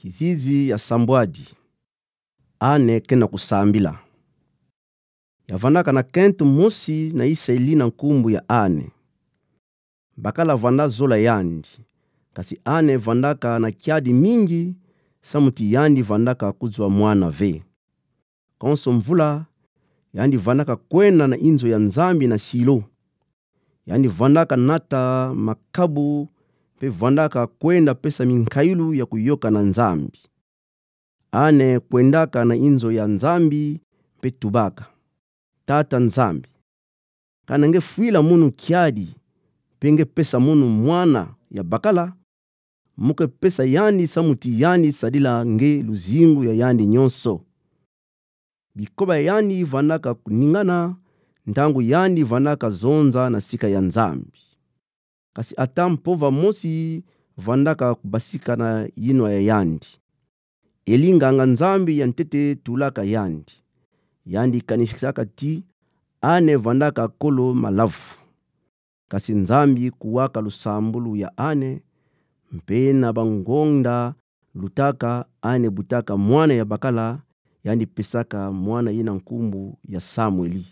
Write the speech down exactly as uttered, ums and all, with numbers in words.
Kizizi ya sambwadi. Ane kena kusambila. Ya vandaka na kento mosi na Isaeli na nkumbu ya Ane. Bakala vanda zola yandi. Kasi Ane vandaka na kiadi mingi, samuti yandi vandaka kuzwa mwana ve. Konso mvula, yandi vandaka kwenda na inzo ya Nzambi na Silo. Yandi vandaka nata makabu, mpe vandaka kwenda pesa minkayulu ya kuyoka na Nzambi. Ane kwendaka na inzo ya Nzambi, mpe tubaka: Tata Nzambi, kana nge fwila munu kiadi, mpe nge pesa munu mwana ya bakala, mu ke pesa yandi samuti yandi sadila nge luzingu ya yandi nyonso. Bikoba ya yandi vandaka kuningana, ntangu yandi vandaka zonza na sika ya Nzambi. Kasi ata mpova mosi vandaka kubasika na yinwa ya yandi. Eli nganga-Nzambi ya ntete tulaka yandi. Yandi kanisaka ti Ane vandaka kolo malavu. Kasi Nzambi kuwaka lusambulu ya Ane, mpe na bangonda lutaka, Ane butaka mwana ya bakala, yandi pesaka mwana yina nkumbu ya Samweli.